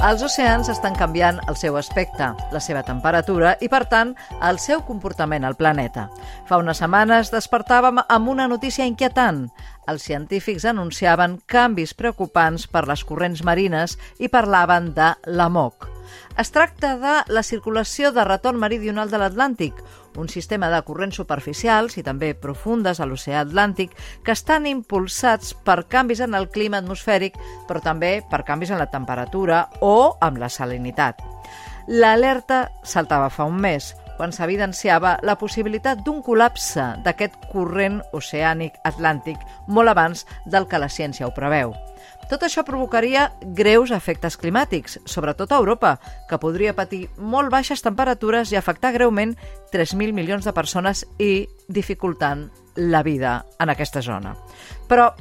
Els oceans estan canviant el seu aspecte, la seva temperatura i, per tant, el seu comportament al planeta. Fa unes setmanes despertàvem amb una notícia inquietant. Els científics anunciaven canvis preocupants per les corrents marines i parlaven de l'AMOC. Es tracta de la circulació de retorn meridional de l'Atlàntic, un sistema de corrents superficials i també profundes a l'oceà Atlàntic que estan impulsats per canvis en el clima atmosfèric, però també per canvis en la temperatura o amb la salinitat. L'alerta saltava fa un mes, quan s'evidenciava la possibilitat d'un col·lapse d'aquest corrent oceànic atlàntic molt abans del que la ciència ho preveu. Tot això provocaria greus efectes climàtics, sobretot a Europa, que podria patir molt baixes temperatures i afectar greument 3.000 milions de persones i dificultant la vida en aquesta zona. Però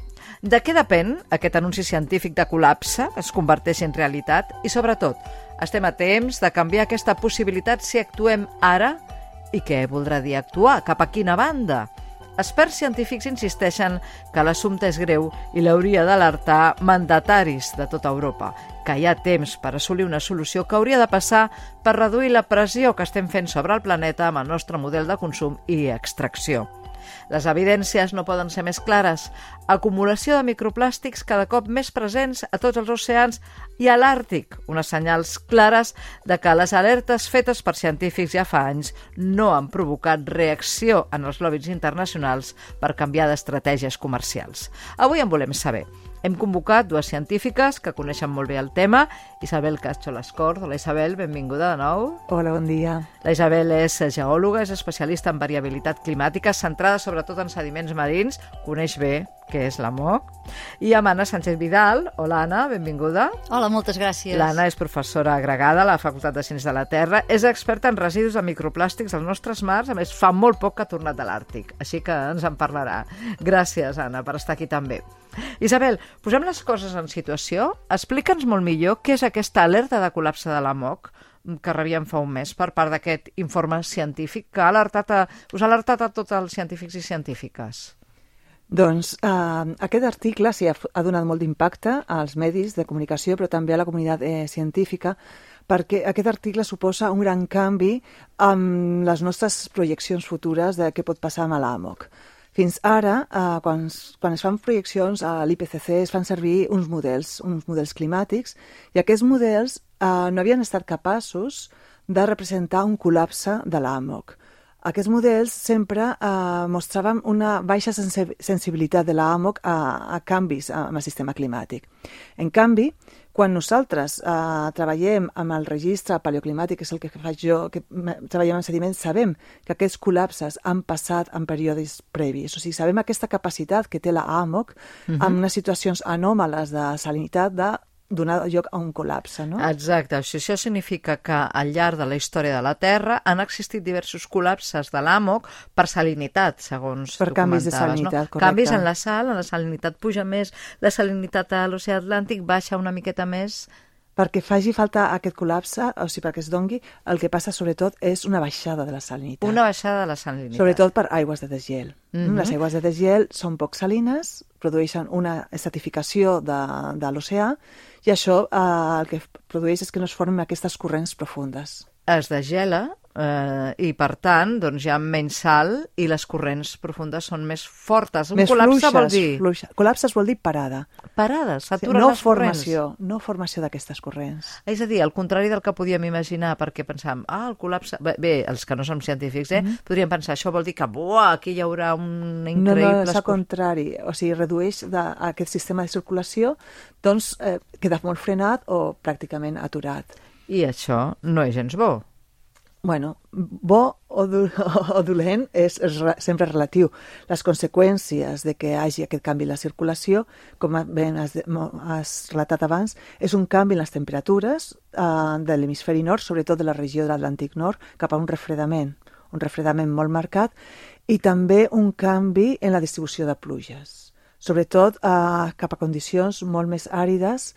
de què depèn aquest anunci científic de col·lapse es converteixi en realitat? I sobretot, estem a temps de canviar aquesta possibilitat si actuem ara? I què voldrà dir actuar? Cap a quina banda? Experts científics insisteixen que l'assumpte és greu i l'hauria d'alertar mandataris de tota Europa, que hi ha temps per assolir una solució que hauria de passar per reduir la pressió que estem fent sobre el planeta amb el nostre model de consum i extracció. Les evidències no poden ser més clares. Acumulació de microplàstics cada cop més presents a tots els oceans i a l'Àrtic, unes senyals clares de que les alertes fetes per científics ja fa anys no han provocat reacció en els lobbies internacionals per canviar d'estratègies comercials. Avui en volem saber. Hem convocat dues científiques que coneixen molt bé el tema. Isabel Cacho-Lascort. Hola, Isabel, benvinguda de nou. Hola, bon dia. La Isabel és geòloga, és especialista en variabilitat climàtica, centrada sobretot en sediments marins, coneix bé què és l'AMOC. I amb Anna Sánchez Vidal. Hola, Anna, benvinguda. Hola, moltes gràcies. L'Anna és professora agregada a la Facultat de Ciències de la Terra, és experta en residus de microplàstics als nostres mars, a més fa molt poc que ha tornat de l'Àrtic, així que ens en parlarà. Gràcies, Anna, per estar aquí també. Isabel, posem les coses en situació. Explica'ns molt millor què és aquesta alerta de col·lapse de l'AMOC que rebíem fa un mes per part d'aquest informe científic que us ha alertat a tots els científics i científiques. Doncs aquest article sí, ha donat molt d'impacte als medis de comunicació, però també a la comunitat científica, perquè aquest article suposa un gran canvi amb les nostres projeccions futures de què pot passar amb l'AMOC. Fins ara, quan es fan projeccions a l'IPCC, es fan servir uns models climàtics, i aquests models no havien estat capaços de representar un col·lapse de l'AMOC. Aquests models sempre mostraven una baixa sensibilitat de l'AMOC a canvis en el sistema climàtic. En canvi, quan nosaltres treballem amb el registre paleoclimàtic, que és el que faig jo, que treballem en sediments, sabem que aquests col·lapses han passat en períodes previs. O sigui, sabem aquesta capacitat que té l'AMOC en unes situacions anòmales de salinitat de donar lloc a un col·lapse, no? Exacte. Això significa que al llarg de la història de la Terra han existit diversos col·lapses de l'AMOC per salinitat, segons per tu comentaves. Per canvis de salinitat, correcte. Canvis en la salinitat puja més, la salinitat a l'oceà Atlàntic baixa una miqueta més. Perquè faci falta aquest col·lapse, o sigui, perquè es dongui, el que passa sobretot és una baixada de la salinitat. Una baixada de la salinitat. Sobretot per aigües de desgel. Les aigües de desgel són poc salines, produeixen una estratificació de l'oceà, i això el que produeix és que no es formen aquestes corrents profundes. Es degela i, per tant, doncs hi ha menys sal i les corrents profundes són més fortes. Un col·lapse vol dir... Col·lapse vol dir parada. Parada, s'aturen les corrents. No formació d'aquestes corrents. És a dir, al contrari del que podíem imaginar, perquè pensàvem, el col·lapse... Bé, els que no som científics, podríem pensar, això vol dir que aquí hi haurà un increïble... No, és al contrari. O sigui, redueix aquest sistema de circulació, doncs queda molt frenat o pràcticament aturat. I això no és gens bo. Bueno, bo o dolent és sempre relatiu. Les conseqüències de que hi hagi aquest canvi en la circulació, com ben has relatat abans, és un canvi en les temperatures de l'hemisferi nord, sobretot de la regió de l'Atlàntic Nord, cap a un refredament molt marcat, i també un canvi en la distribució de pluges, sobretot cap a condicions molt més àrides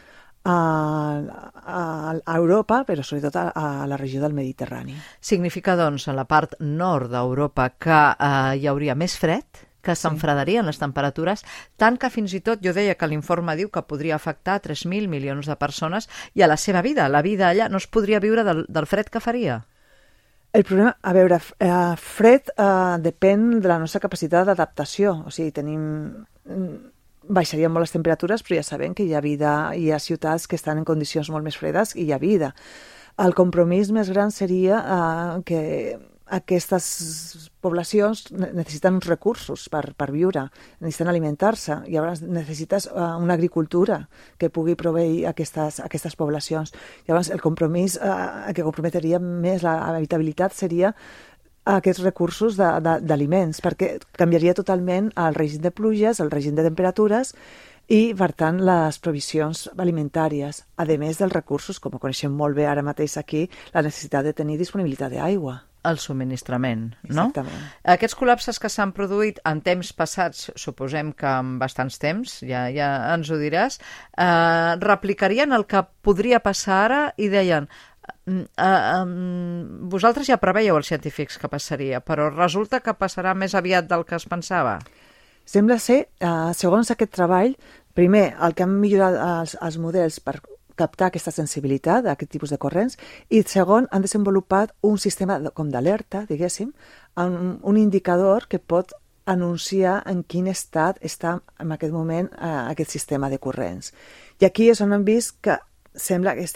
a Europa, però sobretot a la regió del Mediterrani. Significa, doncs, en la part nord d'Europa que hi hauria més fred que s'enfredarien les temperatures, tant que fins i tot jo deia que l'informe diu que podria afectar 3.000 milions de persones i a la seva vida. La vida allà no es podria viure del fred que faria. El problema, a veure, fred depèn de la nostra capacitat d'adaptació. O sigui, baixarien molt les temperatures, però ja sabem que hi ha vida, hi ha ciutats que estan en condicions molt més fredes i hi ha vida. El compromís més gran seria que aquestes poblacions necessiten uns recursos per viure, necessiten alimentar-se, i llavors necessites una agricultura que pugui proveir aquestes poblacions. Llavors el compromís que comprometria més l'habitabilitat seria aquests recursos d'aliments, perquè canviaria totalment el règim de pluges, el règim de temperatures i, per tant, les provisions alimentàries, a més dels recursos, com ho coneixem molt bé ara mateix aquí, la necessitat de tenir disponibilitat d'aigua. El subministrament, no? Exactament. Aquests col·lapses que s'han produït en temps passats, suposem que en bastants temps, ja ens ho diràs, replicarien el que podria passar ara i deien vosaltres ja preveieu els científics que passaria, però resulta que passarà més aviat del que es pensava. Sembla ser, segons aquest treball, primer, el que han millorat els models per captar aquesta sensibilitat a aquest tipus de corrents, i segon, han desenvolupat un sistema com d'alerta, diguéssim, un indicador que pot anunciar en quin estat està en aquest moment aquest sistema de corrents. I aquí és on hem vist que sembla que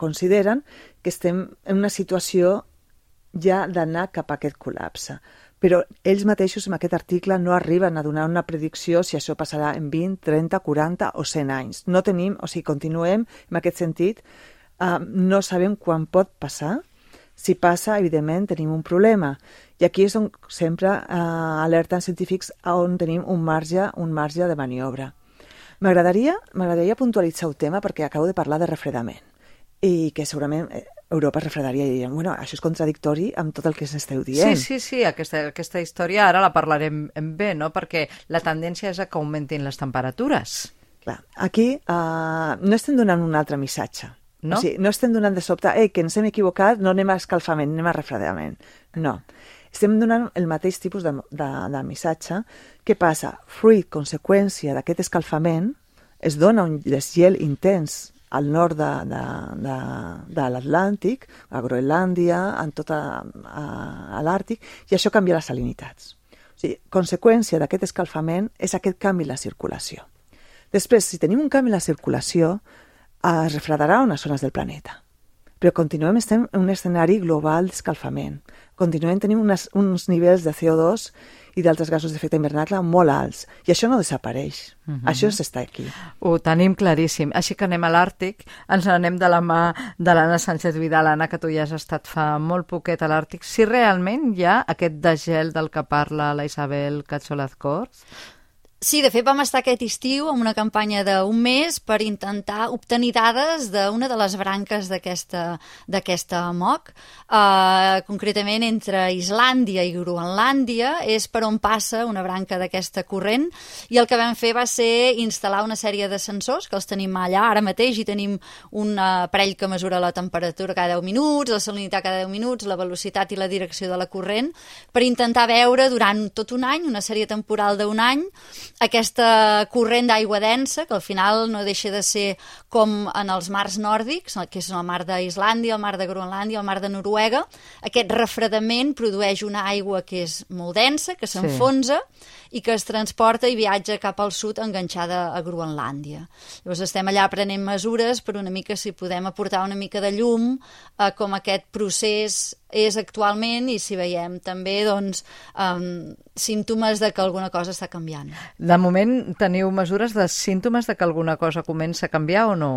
consideren que estem en una situació ja d'anar cap a aquest col·lapse. Però ells mateixos en aquest article no arriben a donar una predicció si això passarà en 20, 30, 40 o 100 anys. No tenim, o sigui, continuem en aquest sentit, no sabem quan pot passar. Si passa, evidentment, tenim un problema. I aquí és on sempre alerten científics on tenim un marge de maniobra. M'agradaria puntualitzar el tema perquè acabo de parlar de refredament i que segurament Europa es refredaria i dirien, bueno, això és contradictori amb tot el que s'esteu dient. Sí, aquesta història ara la parlarem bé, no? Perquè la tendència és a que augmentin les temperatures. Clar, aquí no estem donant un altre missatge. No? O sigui, no estem donant de sobte, que ens hem equivocat, no anem a escalfament, anem a refredament. No. Estem donant el mateix tipus de missatge. Què passa? Fruit, conseqüència d'aquest escalfament, es dona un desgel intens al nord de l'Atlàntic, a Groenlàndia, en tot l'Àrtic, i això canvia les salinitats. O sigui, conseqüència d'aquest escalfament és aquest canvi en la circulació. Després, si tenim un canvi en la circulació, es refredarà unes zones del planeta. Però estem en un escenari global d'escalfament. Continuem tenint uns nivells de CO2 i d'altres gasos d'efecte hivernacle molt alts. I això no desapareix. Això està aquí. Ho tenim claríssim. Així que anem a l'Àrtic, ens anem de la mà de l'Anna Sánchez Vidal. Anna, que tu ja has estat fa molt poquet a l'Àrtic. Si realment hi ha aquest degel del que parla la Isabel Cacholaz-Cors? Sí, de fet vam estar aquest estiu amb una campanya d'un mes per intentar obtenir dades d'una de les branques d'aquesta MOC. Concretament entre Islàndia i Groenlàndia és per on passa una branca d'aquesta corrent, i el que vam fer va ser instal·lar una sèrie de sensors que els tenim allà. Ara mateix hi tenim un aparell que mesura la temperatura cada 10 minuts, la salinitat cada 10 minuts, la velocitat i la direcció de la corrent, per intentar veure durant tot un any, una sèrie temporal d'un any, aquesta corrent d'aigua densa, que al final no deixa de ser com en els mars nòrdics, que és el mar d'Islàndia, el mar de Groenlàndia, el mar de Noruega. Aquest refredament produeix una aigua que és molt densa, que s'enfonsa i que es transporta i viatja cap al sud enganxada a Groenlàndia. Llavors estem allà prenent mesures per una mica si podem aportar una mica de llum a com aquest procés és actualment i si veiem també símptomes de que alguna cosa està canviant. De moment teniu mesures de símptomes de que alguna cosa comença a canviar o no?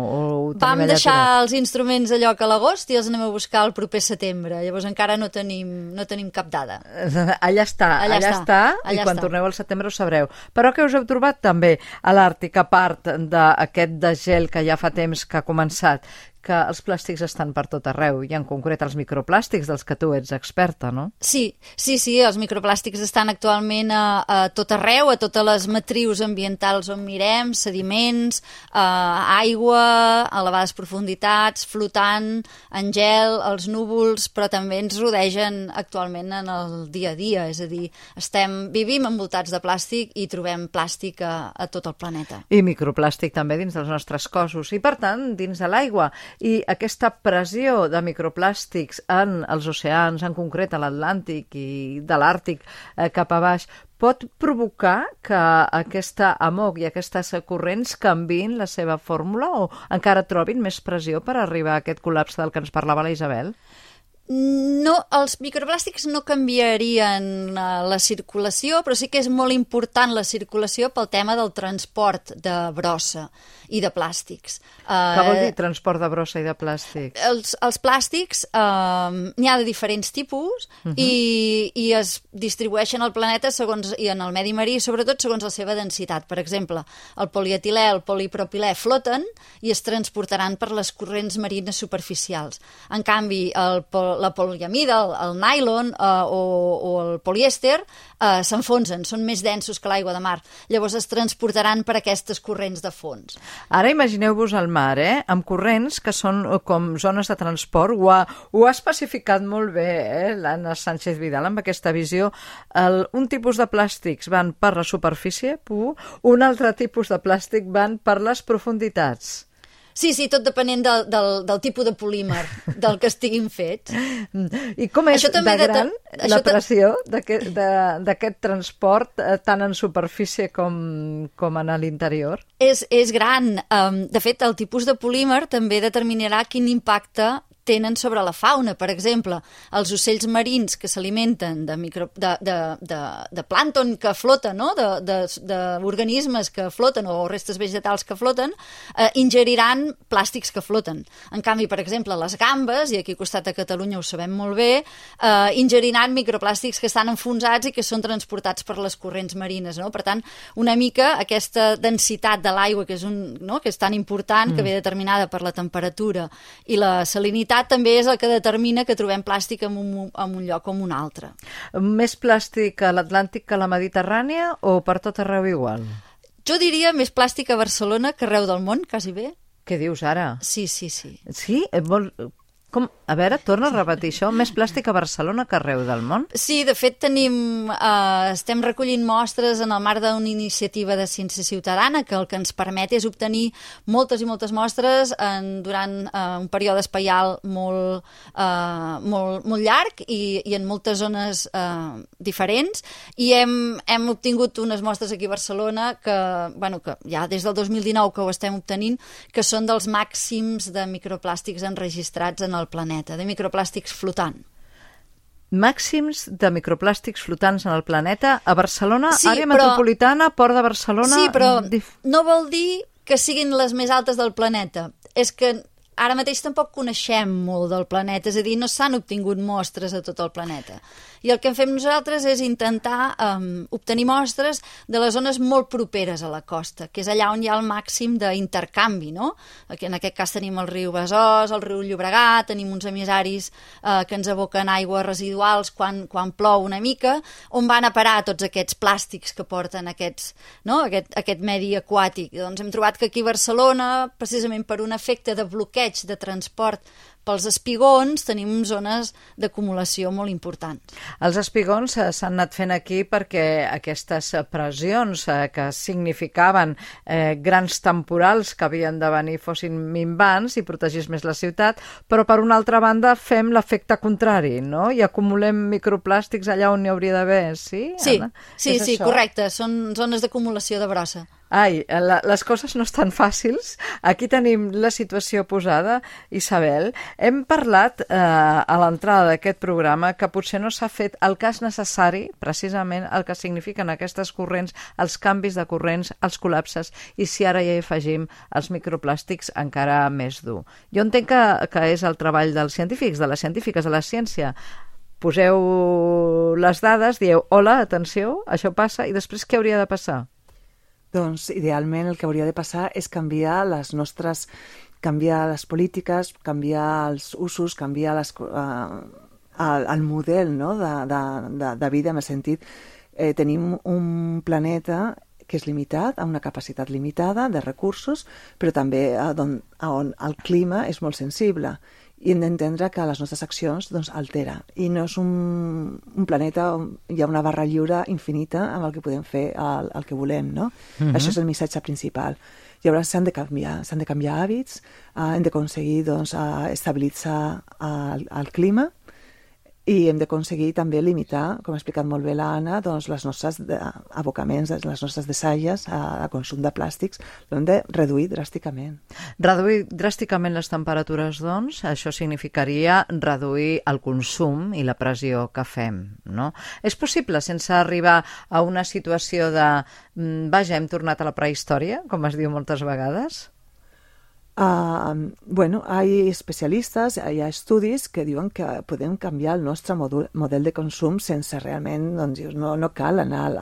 Vam deixar els instruments a lloc a l'agost i els anem a buscar el proper setembre. Llavors encara no tenim cap dada. Allà està, i quan torneu al setembre ho sabreu. Però què us heu trobat també a l'Àrtic, a part d'aquest degel que ja fa temps que ha començat? que els plàstics estan per tot arreu, i en concret els microplàstics dels que tu ets experta, no? Sí, els microplàstics estan actualment a tot arreu, a totes les matrius ambientals on mirem, sediments, aigua, a elevades profunditats, flotant, en gel, els núvols, però també ens rodegen actualment en el dia a dia, és a dir, vivim envoltats de plàstic i trobem plàstic a tot el planeta. I microplàstic també dins dels nostres cossos i, per tant, dins de l'aigua. I aquesta pressió de microplàstics en els oceans, en concret a l'Atlàntic i de l'Àrtic cap a baix, pot provocar que aquesta amog i aquestes corrents canviïn la seva fórmula o encara trobin més pressió per arribar a aquest col·lapse del que ens parlava la Isabel? No, els microplàstics no canviarien la circulació, però sí que és molt important la circulació pel tema del transport de brossa i de plàstics. Què vol dir transport de brossa i de plàstics? Els plàstics n'hi ha de diferents tipus i es distribueixen al planeta i en el medi marí, sobretot segons la seva densitat. Per exemple, el polietilè, el polipropilè floten i es transportaran per les corrents marines superficials. En canvi, la poliamida, el nylon o el polièster s'enfonsen, són més densos que l'aigua de mar. Llavors es transportaran per aquestes corrents de fons. Ara imagineu-vos el mar, amb corrents que són com zones de transport. Ho ha especificat molt bé l'Anna Sánchez Vidal amb aquesta visió. Un tipus de plàstics van per la superfície, un altre tipus de plàstic van per les profunditats. Sí, tot depenent del tipus de polímer del que estiguin fets. I com és de gran la pressió d'aquest transport tant en superfície com en l'interior? És gran. De fet, el tipus de polímer també determinarà quin impacte tenen sobre la fauna. Per exemple, els ocells marins que s'alimenten de plàncton que flota, no? d'organismes que floten o restes vegetals que floten, ingeriran plàstics que floten. En canvi, per exemple, les gambes, i aquí al costat de Catalunya ho sabem molt bé, ingeriran microplàstics que estan enfonsats i que són transportats per les corrents marines. No? Per tant, una mica aquesta densitat de l'aigua, que és tan important, que ve determinada per la temperatura i la salinitat, també és el que determina que trobem plàstic en un lloc o en un altre. Més plàstic a l'Atlàntic que a la Mediterrània o per tot arreu igual? Jo diria més plàstic a Barcelona que arreu del món, quasi bé. Què dius ara? Sí. Sí? A veure, torna a repetir això. Més plàstic a Barcelona que arreu del món? Sí, de fet estem recollint mostres en el marc d'una iniciativa de ciència ciutadana que el que ens permet és obtenir moltes i moltes mostres durant un període espaial molt llarg i en moltes zones diferents, i hem obtingut unes mostres aquí a Barcelona que ja des del 2019 que ho estem obtenint, que són dels màxims de microplàstics enregistrats en el planeta, de microplàstics flotant. Màxims de microplàstics flotants en el planeta a Barcelona, àrea metropolitana, Port de Barcelona... Sí, però no vol dir que siguin les més altes del planeta. És que ara mateix tampoc coneixem molt del planeta, és a dir, no s'han obtingut mostres a tot el planeta. I el que fem nosaltres és intentar obtenir mostres de les zones molt properes a la costa, que és allà on hi ha el màxim d'intercanvi, no? En aquest cas tenim el riu Besòs, el riu Llobregat, tenim uns emissaris que ens aboquen aigües residuals quan plou una mica, on van a parar tots aquests plàstics que porten aquest medi aquàtic. Doncs hem trobat que aquí a Barcelona, precisament per un efecte de bloqueig de transport pels espigons, tenim zones d'acumulació molt importants. Els espigons s'han anat fent aquí perquè aquestes pressions que significaven grans temporals que havien de venir fossin minvants i protegís més la ciutat, però per una altra banda fem l'efecte contrari, no? I acumulem microplàstics allà on n'hi hauria d'haver, sí? Sí, correcte, són zones d'acumulació de brossa. Ai, les coses no estan fàcils. Aquí tenim la situació posada. Isabel, hem parlat a l'entrada d'aquest programa que potser no s'ha fet el cas necessari, precisament el que signifiquen aquestes corrents, els canvis de corrents, els col·lapses, i si ara ja hi afegim els microplàstics, encara més dur. Jo entenc que és el treball dels científics, de les científiques, de la ciència. Poseu les dades, dieu, hola, atenció, això passa, i després què hauria de passar? Doncs, idealment, el que hauria de passar és canviar les nostres canviar les polítiques, canviar els usos, canviar el model, no? de vida, en el sentit tenim un planeta que és limitat, amb una capacitat limitada de recursos, però també on el clima és molt sensible. I hem d'entendre que les nostres accions altera. I no és un planeta on hi ha una barra lliure infinita amb el que podem fer el que volem, no? Això és el missatge principal. Llavors s'han de canviar hàbits, hem d'aconseguir estabilitzar el clima, i hem d'aconseguir també limitar, com ha explicat molt bé l'Anna, les nostres abocaments, les nostres deixalles a consum de plàstics, l'hem de reduir dràsticament. Reduir dràsticament les temperatures, doncs, això significaria reduir el consum i la pressió que fem, no? És possible sense arribar a una situació de vaja, hem tornat a la prehistòria, com es diu moltes vegades? Hay especialistes, hi ha estudis que diuen que podem canviar el nostre model de consum sense realment, no cal anar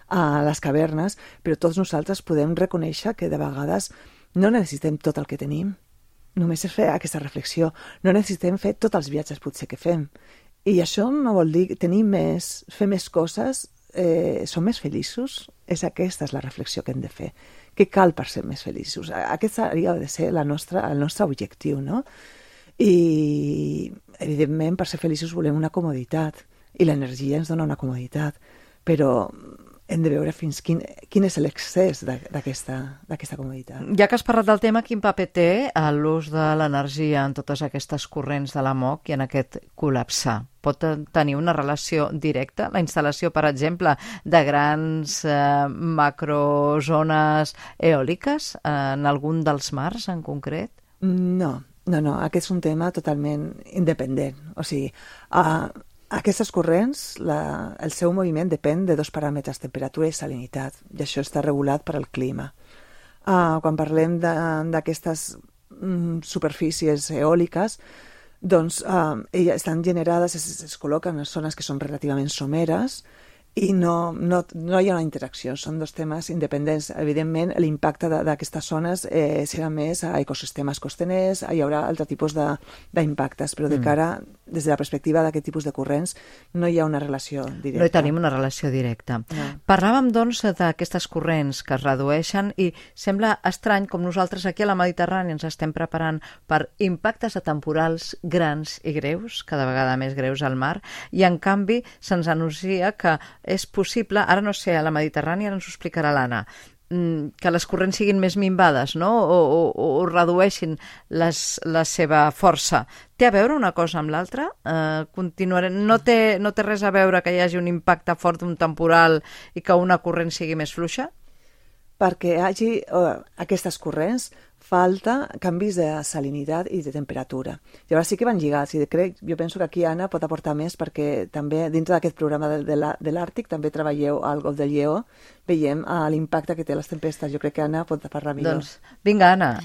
a les cavernes, però tots nosaltres podem reconèixer que de vegades no necessitem tot el que tenim. Només és fer aquesta reflexió. No necessitem fer tots els viatges potser que fem. I això no vol dir tenir més, fer més coses, som més feliços? Aquesta és la reflexió que hem de fer. Què cal per ser més feliços? Aquest hauria de ser el nostre objectiu, no? I, evidentment, per ser feliços volem una comoditat, i l'energia ens dona una comoditat, però hem de veure fins quin és l'excés d'aquesta comoditat. Ja que has parlat del tema, quin paper té l'ús de l'energia en totes aquestes corrents de la MOC i en aquest col·lapsar? Pot tenir una relació directa? La instal·lació, per exemple, de grans macrozones eòliques en algun dels mars en concret? No. Aquest és un tema totalment independent. O sigui, aquestes corrents, el seu moviment depèn de dos paràmetres, temperatura i salinitat, i això està regulat per al clima. Quan parlem d'aquestes superfícies eòliques, doncs elles estan generades, es col·loquen en zones que són relativament someres i no hi ha una interacció, són dos temes independents. Evidentment, l'impacte d'aquestes zones serà més a ecosistemes costaners, hi haurà altre tipus d'impactes, però de cara, des de la perspectiva d'aquest tipus de corrents, no hi ha una relació directa. No hi tenim una relació directa. No. Parlàvem, doncs, d'aquestes corrents que es redueixen i sembla estrany com nosaltres aquí a la Mediterrània ens estem preparant per impactes temporals grans i greus, cada vegada més greus al mar, i en canvi se'ns anuncia que és possible, ara no sé, a la Mediterrània, ara ens ho explicarà l'Anna, que les corrents siguin més minvades, no? O redueixin la seva força. Té a veure una cosa amb l'altra? No té res a veure que hi hagi un impacte fort d'un temporal i que una corrent sigui més fluixa? Perquè hi hagi aquestes corrents, falta canvis de salinitat i de temperatura. Llavors sí que van lligats, i jo penso que aquí Anna pot aportar més, perquè també dintre d'aquest programa de l'Àrtic també treballeu al Golf del Lleó, veiem l'impacte que té les tempestes. Jo crec que Anna pot parlar millor. Doncs vinga, Anna,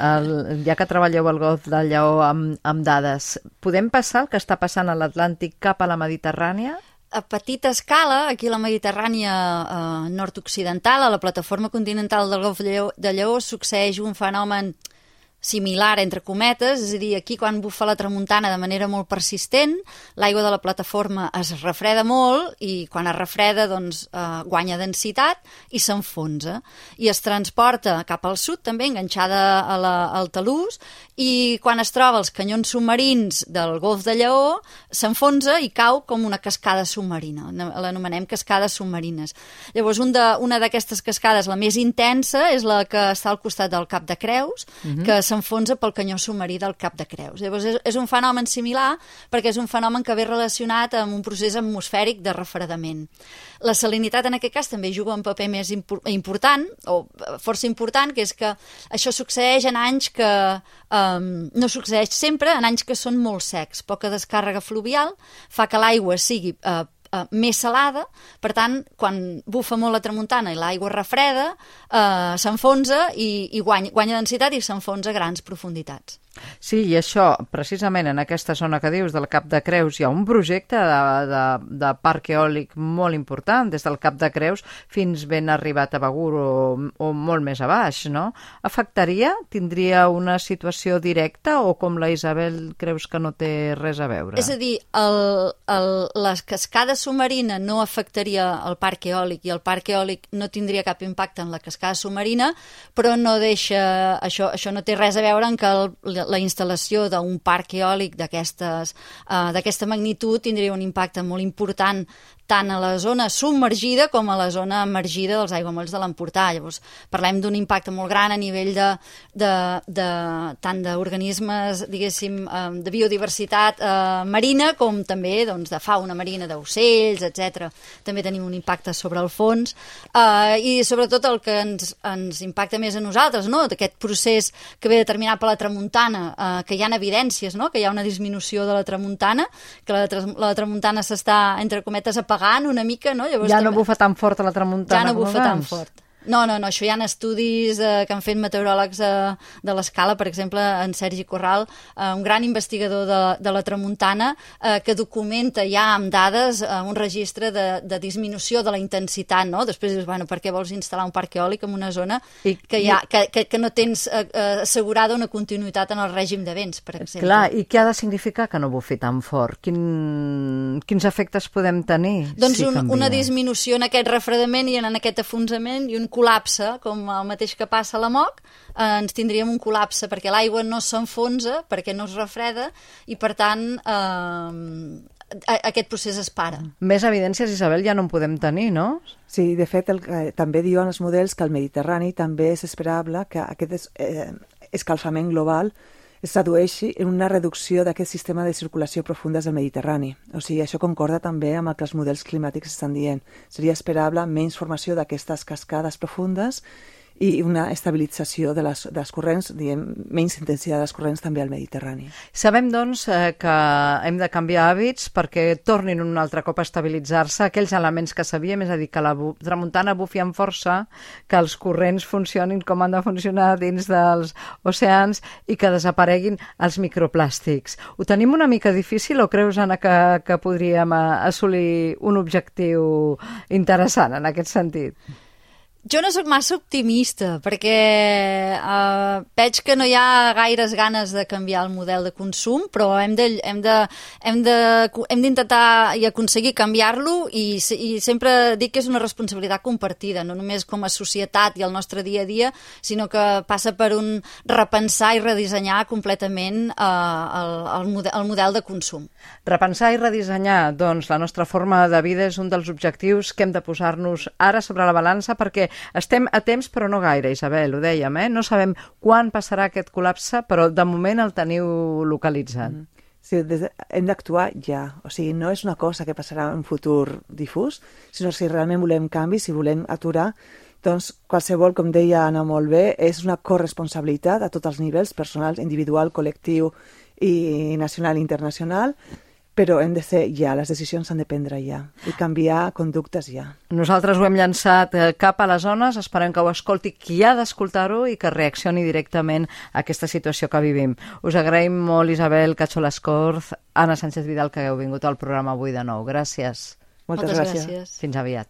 ja que treballeu al Golf del Lleó amb dades, podem passar el que està passant a l'Atlàntic cap a la Mediterrània? A petita escala, aquí a la Mediterrània nord-occidental, a la plataforma continental del Golf de Lleó, succeeix un fenomen similar, entre cometes, és a dir, aquí quan bufa la tramuntana de manera molt persistent, l'aigua de la plataforma es refreda molt i quan es refreda doncs, guanya densitat i s'enfonsa. I es transporta cap al sud, també enganxada al talús, i quan es troba als canyons submarins del Golf de Lleó, s'enfonsa i cau com una cascada submarina. L'anomenem cascades submarines. Llavors, una d'aquestes cascades, la més intensa, és la que està al costat del Cap de Creus, que s'enfonsa pel canyó submarí del Cap de Creus. Llavors, és un fenomen similar perquè és un fenomen que ve relacionat amb un procés atmosfèric de refredament. La salinitat, en aquest cas, també juga un paper més important, o força important, que és que això succeeix en anys que no succeeix sempre, en anys que són molt secs. Poca descàrrega fluvial fa que l'aigua sigui més salada, per tant, quan bufa molt la tramuntana i l'aigua refreda, s'enfonsa i guanya densitat i s'enfonsa a grans profunditats. Sí, i això, precisament en aquesta zona que dius del Cap de Creus, hi ha un projecte de parc eòlic molt important, des del Cap de Creus fins ben arribat a Begur o molt més a baix, no? Afectaria? Tindria una situació directa o com la Isabel creus que no té res a veure? És a dir, la cascada submarina no afectaria el parc eòlic i el parc eòlic no tindria cap impacte en la cascada submarina, però no deixa, això no té res a veure en que la instal·lació d'un parc eòlic d'aquesta magnitud tindria un impacte molt important tant a la zona submergida com a la zona emergida dels aiguamolls de l'Empordà. Llavors, parlem d'un impacte molt gran a nivell tant d'organismes, diguéssim, de biodiversitat marina, com també de fauna marina, d'ocells, etc. També tenim un impacte sobre el fons i sobretot el que ens impacta més a nosaltres, no? D'aquest procés que ve determinat per la tramuntana, que hi ha evidències, no? Que hi ha una disminució de la tramuntana, que la tramuntana s'està, entre cometes, apagant una mica, no? Llavors, ja no bufa tan fort a la tramuntana com abans. Ja no bufa tan fort. No, això hi ha estudis que han fet meteoròlegs de l'Escala, per exemple, en Sergi Corral, un gran investigador de la tramuntana, que documenta ja amb dades un registre de disminució de la intensitat, no? Després dius, bueno, per què vols instal·lar un parc eòlic en una zona que no tens assegurada una continuïtat en el règim de vents, per exemple? Clar, i què ha de significar que no bufi tan fort? Quins efectes podem tenir? Doncs una disminució en aquest refredament i en aquest afonsament i un col·lapse, com el mateix que passa a la MOC, ens tindríem un col·lapse perquè l'aigua no s'enfonsa, perquè no es refreda i, per tant, aquest procés es para. Més evidències, Isabel, ja no en podem tenir, no? Sí, de fet, també diuen els models que al Mediterrani també és esperable que aquest escalfament global es tradueixi en una reducció d'aquest sistema de circulació profundes del Mediterrani. O sigui, això concorda també amb el que els models climàtics estan dient. Seria esperable menys formació d'aquestes cascades profundes i una estabilització dels corrents, diguem, menys intensitat dels corrents també al Mediterrani. Sabem, doncs, que hem de canviar hàbits perquè tornin un altre cop a estabilitzar-se aquells elements que sabíem, és a dir, que la tramuntana bufi amb força, que els corrents funcionin com han de funcionar dins dels oceans i que desapareguin els microplàstics. Ho tenim una mica difícil o creus, Anna, que podríem assolir un objectiu interessant en aquest sentit? Jo no sóc massa optimista, perquè veig que no hi ha gaires ganes de canviar el model de consum, però hem d'intentar i aconseguir canviar-lo i sempre dic que és una responsabilitat compartida, no només com a societat i el nostre dia a dia, sinó que passa per un repensar i redissenyar completament el model de consum. Repensar i redissenyar, doncs, la nostra forma de vida és un dels objectius que hem de posar-nos ara sobre la balança perquè estem a temps, però no gaire, Isabel, ho dèiem, No sabem quan passarà aquest col·lapse, però de moment el teniu localitzat. Sí, hem d'actuar ja. O sigui, no és una cosa que passarà en un futur difús, sinó que si realment volem canvi, si volem aturar, doncs qualsevol, com deia Anna molt bé, és una corresponsabilitat a tots els nivells, personal, individual, col·lectiu i nacional i internacional, però hem de ser ja, les decisions s'han de prendre ja i canviar conductes ja. Nosaltres ho hem llançat cap a les zones, esperem que ho escolti qui ha d'escoltar-ho i que reaccioni directament a aquesta situació que vivim. Us agraïm molt, Isabel Cacholascorz, Anna Sánchez Vidal, que heu vingut al programa avui de nou. Gràcies. Moltes gràcies. Fins aviat.